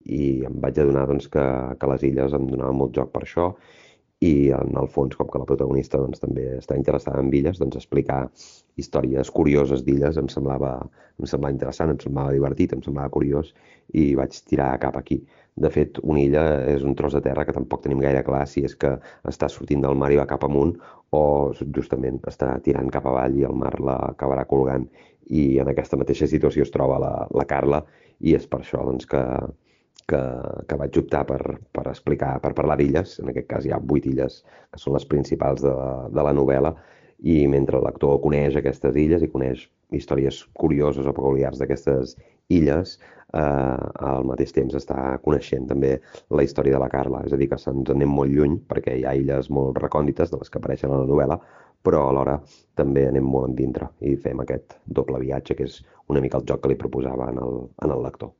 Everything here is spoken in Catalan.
i em vaig adonar doncs, que les illes em donaven molt joc per això i en el fons, com que la protagonista doncs, també està interessada en illes, doncs explicar històries curioses d'illes em semblava interessant, em semblava divertit, em semblava curiós i vaig tirar cap aquí. De fet, una illa és un tros de terra que tampoc tenim gaire clar si és que està sortint del mar i va cap amunt o justament està tirant cap avall i el mar la acabarà colgant. I en aquesta mateixa situació es troba la Carla i és per això doncs, que, que vaig optar per explicar, per parlar d'illes. En aquest cas hi ha 8 illes que són les principals de la novel·la i mentre l'actor coneix aquestes illes i coneix històries curioses o peculiars d'aquestes illes, al mateix temps està coneixent també la història de la Carla. És a dir, que se'ns anem molt lluny perquè hi ha illes molt recòndites de les que apareixen a la novel·la, però alhora també anem molt en dintre i fem aquest doble viatge que és una mica el joc que li proposava en el lector.